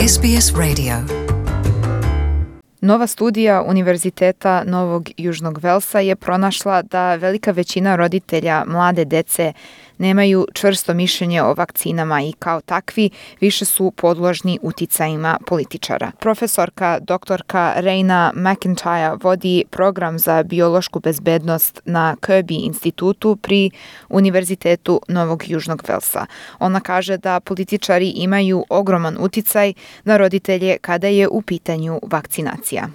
SBS Radio. Nova studija Univerziteta Novog Južnog Velsa je pronašla da velika većina roditelja mlade dece nemaju čvrsto mišljenje o vakcinama i kao takvi više su podložni uticajima političara. Profesorka doktorka Raina McIntyre vodi program za biološku bezbednost na Kirby institutu pri Univerzitetu Novog Južnog Velsa. Ona kaže da političari imaju ogroman uticaj na roditelje kada je u pitanju vakcinacija.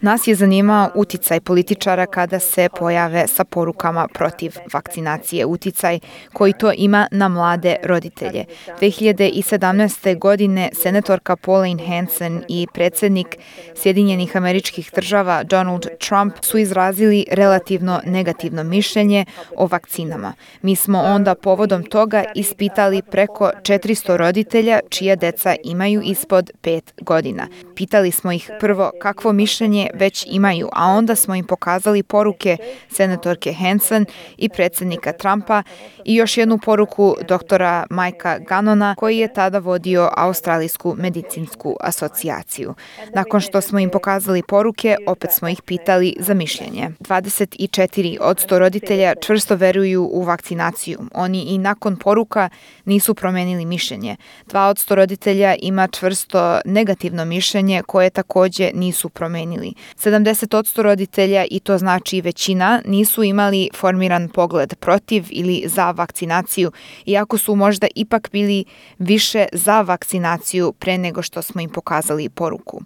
Nas je zanimao uticaj političara kada se pojave sa porukama protiv vakcinacije, uticaj koji to ima na mlade roditelje. 2017. godine senatorka Pauline Hanson i predsjednik Sjedinjenih Američkih Država Donald Trump su izrazili relativno negativno mišljenje o vakcinama. Mi smo onda povodom toga ispitali preko 400 roditelja čija deca imaju ispod 5 godina. Pitali smo ih prvo kakvo mišljenje već imaju, a onda smo im pokazali poruke senatorke Hanson i predsjednika Trumpa i još jednu poruku doktora Mikea Gannona koji je tada vodio Australijsku medicinsku asocijaciju. Nakon što smo im pokazali poruke, opet smo ih pitali za mišljenje. 24% roditelja čvrsto veruju u vakcinaciju. Oni i nakon poruka nisu promenili mišljenje. 2% roditelja ima čvrsto negativno mišljenje koje također nisu promenili. 70% roditelja, i to znači većina, nisu imali formiran pogled protiv ili za vakcinaciju, iako su možda ipak bili više za vakcinaciju pre nego što smo im pokazali poruku.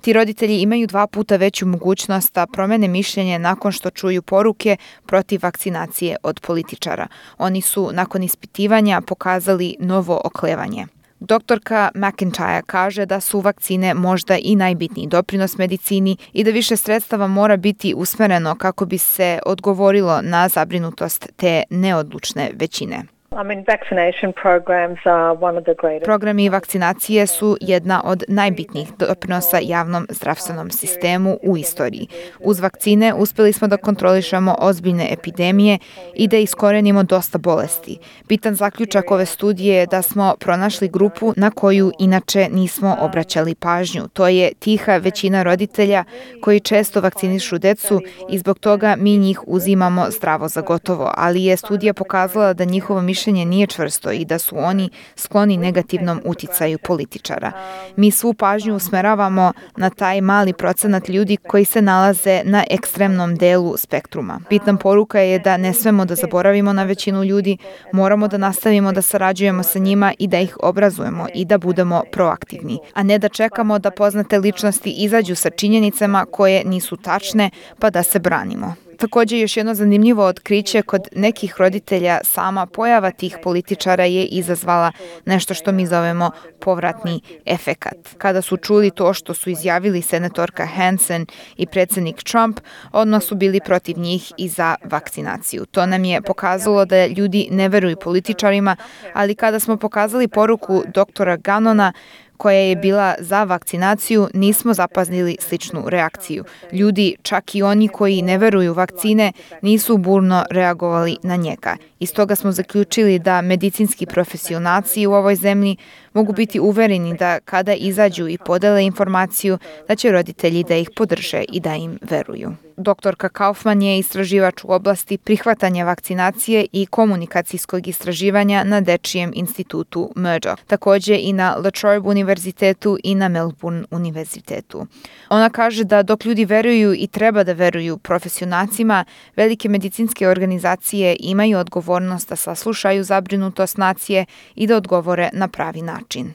Ti roditelji imaju 2 puta veću mogućnost da promene mišljenje nakon što čuju poruke protiv vakcinacije od političara. Oni su nakon ispitivanja pokazali novo oklevanje. Doktorka McIntyre kaže da su vakcine možda i najbitniji doprinos medicini i da više sredstava mora biti usmereno kako bi se odgovorilo na zabrinutost te neodlučne većine. Programi vakcinacije su jedna od najbitnijih doprinosa javnom zdravstvenom sistemu u istoriji. Uz vakcine uspjeli smo da kontrolišemo ozbiljne epidemije i da iskorenimo dosta bolesti. Bitan zaključak ove studije je da smo pronašli grupu na koju inače nismo obraćali pažnju. To je tiha većina roditelja koji često vakcinišu decu i zbog toga mi njih uzimamo zdravo za gotovo, ali je studija pokazala da njihovo mišljenje nije čvrsto i da su oni skloni negativnom uticaju političara. Mi svu pažnju usmeravamo na taj mali procenat ljudi koji se nalaze na ekstremnom delu spektruma. Bitna poruka je da ne smemo da zaboravimo na većinu ljudi, moramo da nastavimo da sarađujemo sa njima i da ih obrazujemo i da budemo proaktivni, a ne da čekamo da poznate ličnosti izađu sa činjenicama koje nisu tačne pa da se branimo. Također još jedno zanimljivo otkriće kod nekih roditelja, sama pojava tih političara je izazvala nešto što mi zovemo povratni efekat. Kada su čuli to što su izjavili senatorka Hanson i predsjednik Trump, odmah su bili protiv njih i za vakcinaciju. To nam je pokazalo da ljudi ne veruju političarima, ali kada smo pokazali poruku doktora Gannona koja je bila za vakcinaciju, nismo zapaznili sličnu reakciju. Ljudi, čak i oni koji ne veruju vakcine, nisu burno reagovali na njega. Iz toga smo zaključili da medicinski profesionalci u ovoj zemlji mogu biti uvereni da kada izađu i podele informaciju, da će roditelji da ih podrže i da im veruju. Doktorka Kaufman je istraživač u oblasti prihvatanja vakcinacije i komunikacijskog istraživanja na Dečijem institutu Murdoch, također i na La Trobe univerzitetu i na Melbourne univerzitetu. Ona kaže da dok ljudi veruju i treba da veruju profesionalcima, velike medicinske organizacije imaju odgovornost da saslušaju zabrinutost nacije i da odgovore na pravi način.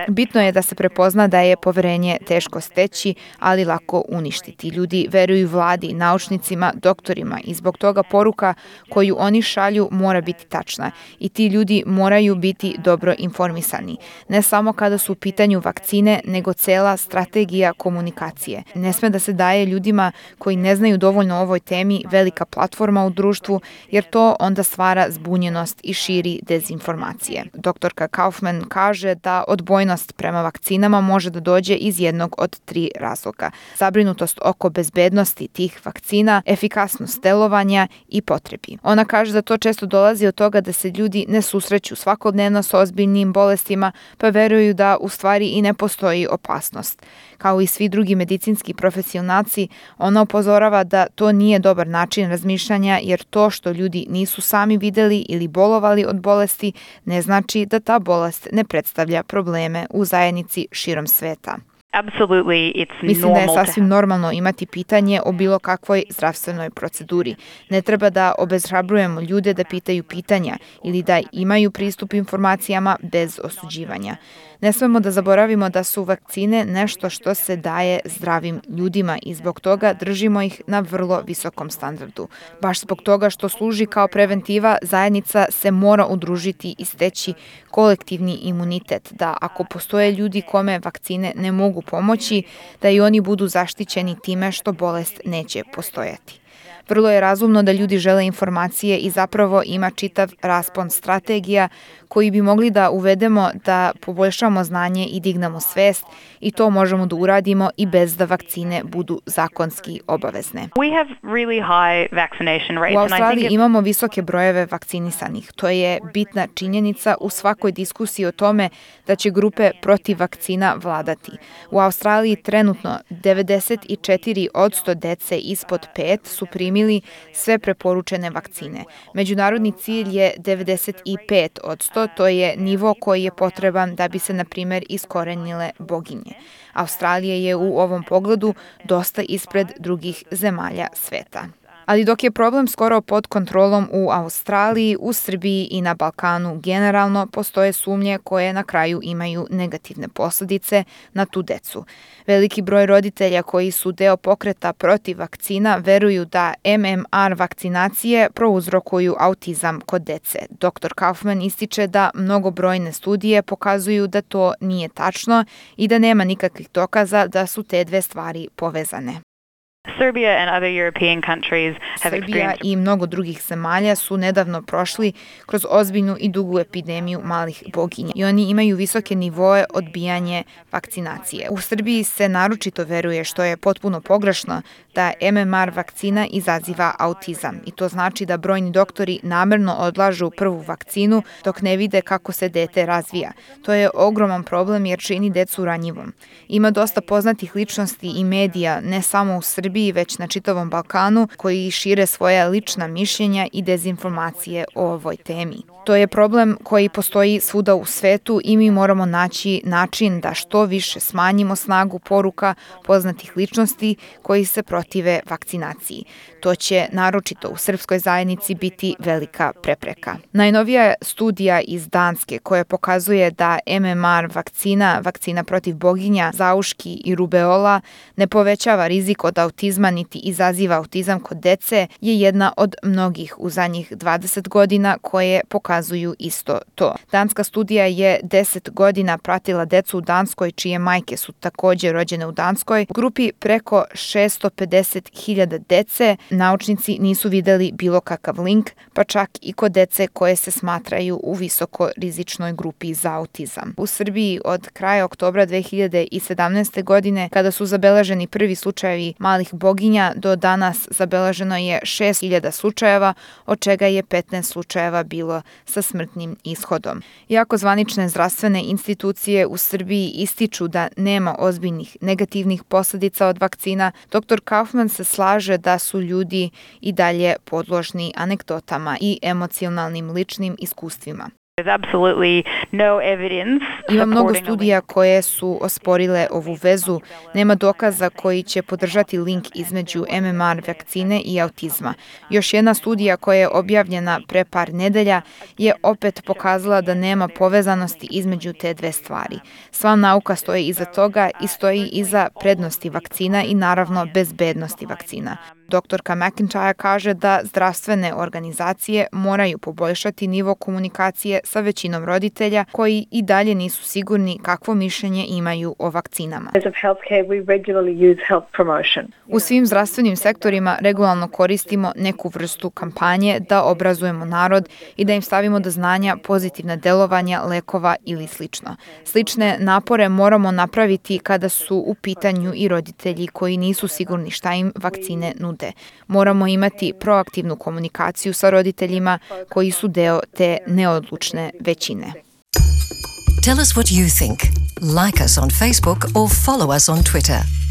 Bitno je da se prepozna da je poverenje teško steći, ali lako uništiti. Ljudi veruju vladi, naučnicima, doktorima i zbog toga poruka koju oni šalju mora biti tačna i ti ljudi moraju biti dobro informisani. Ne samo kada su u pitanju vakcine, nego cela strategija komunikacije. Ne sme da se daje ljudima koji ne znaju dovoljno o ovoj temi velika platforma u društvu, jer to onda stvara zbunjenost i širi dezinformacije. Doktorka Kaufman kaže da odbojnost prema vakcinama može da dođe iz jednog od 3 razloga. Zabrinutost oko bezbednosti tih vakcina, efikasnost delovanja i potrebi. Ona kaže da to često dolazi od toga da se ljudi ne susreću svakodnevno sa ozbiljnim bolestima, pa veruju da u stvari i ne postoji opasnost. Kao i svi drugi medicinski profesionalci, ona upozorava da to nije dobar način razmišljanja jer to što ljudi nisu sami videli ili bolovali od bolesti ne znači da ta bolest ne predstavlja probleme u zajednici širom sveta. Mislim da je sasvim normalno imati pitanje o bilo kakvoj zdravstvenoj proceduri. Ne treba da obeshrabrujemo ljude da pitaju pitanja ili da imaju pristup informacijama bez osuđivanja. Ne smemo da zaboravimo da su vakcine nešto što se daje zdravim ljudima i zbog toga držimo ih na vrlo visokom standardu. Baš zbog toga što služi kao preventiva, zajednica se mora udružiti i steći kolektivni imunitet, da ako postoje ljudi kome vakcine ne mogu pomoći, da i oni budu zaštićeni time što bolest neće postojati. Vrlo je razumno da ljudi žele informacije i zapravo ima čitav raspon strategija koji bi mogli da uvedemo da poboljšamo znanje i dignemo svest i to možemo da uradimo i bez da vakcine budu zakonski obavezne. U Australiji imamo visoke brojeve vakcinisanih. To je bitna činjenica u svakoj diskusiji o tome da će grupe protiv vakcina vladati. U Australiji trenutno 94% dece ispod 5 su primili sve preporučene vakcine. Međunarodni cilj je 95%, to je nivo koji je potreban da bi se, na primjer, iskorenile boginje. Australija je u ovom pogledu dosta ispred drugih zemalja sveta. Ali dok je problem skoro pod kontrolom u Australiji, u Srbiji i na Balkanu generalno postoje sumnje koje na kraju imaju negativne posljedice na tu decu. Veliki broj roditelja koji su deo pokreta protiv vakcina veruju da MMR vakcinacije prouzrokuju autizam kod dece. Dr. Kaufman ističe da mnogobrojne studije pokazuju da to nije tačno i da nema nikakvih dokaza da su te dve stvari povezane. Srbija i mnogo drugih zemalja su nedavno prošli kroz ozbiljnu i dugu epidemiju malih boginja i oni imaju visoke nivoe odbijanje vakcinacije. U Srbiji se naročito veruje, što je potpuno pogrešno, da MMR vakcina izaziva autizam i to znači da brojni doktori namerno odlažu prvu vakcinu dok ne vide kako se dete razvija. To je ogroman problem jer čini decu ranjivom. Ima dosta poznatih ličnosti i medija, ne samo u Srbiji, već na čitavom Balkanu, koji šire svoja lična mišljenja i dezinformacije o ovoj temi. To je problem koji postoji svuda u svetu i mi moramo naći način da što više smanjimo snagu poruka poznatih ličnosti koji se protive vakcinaciji. To će naročito u srpskoj zajednici biti velika prepreka. Najnovija studija iz Danske koja pokazuje da MMR vakcina protiv boginja, zauški i rubeola ne povećava rizik od autizma niti izaziva autizam kod dece je jedna od mnogih u zadnjih 20 godina koje pokazuju isto to. Danska studija je 10 godina pratila decu u Danskoj čije majke su također rođene u Danskoj. U grupi preko 650.000 dece naučnici nisu videli bilo kakav link, pa čak i kod dece koje se smatraju u visoko rizičnoj grupi za autizam. U Srbiji od kraja oktobra 2017. godine, kada su zabeleženi prvi slučajevi malih boginja, do danas zabeleženo je 6.000 slučajeva, od čega je 15 slučajeva bilo sa smrtnim ishodom. Iako zvanične zdravstvene institucije u Srbiji ističu da nema ozbiljnih negativnih posljedica od vakcina, dr. Kaufman se slaže da su ljudi i dalje podložni anegdotama i emocionalnim ličnim iskustvima. Ima mnogo studija koje su osporile ovu vezu. Nema dokaza koji će podržati link između MMR vakcine i autizma. Još jedna studija koja je objavljena pre par nedelja je opet pokazala da nema povezanosti između te dve stvari. Sva nauka stoji iza toga i stoji iza prednosti vakcina i naravno bezbednosti vakcina. Doktorka McIntyre kaže da zdravstvene organizacije moraju poboljšati nivo komunikacije sa većinom roditelja koji i dalje nisu sigurni kakvo mišljenje imaju o vakcinama. U svim zdravstvenim sektorima regularno koristimo neku vrstu kampanje da obrazujemo narod i da im stavimo do znanja pozitivna delovanja lekova ili slično. Slične napore moramo napraviti kada su u pitanju i roditelji koji nisu sigurni šta im vakcine nude. Moramo imati proaktivnu komunikaciju sa roditeljima koji su deo te neodlučne većine. Tell us what you think. Like us on Facebook or follow us on Twitter.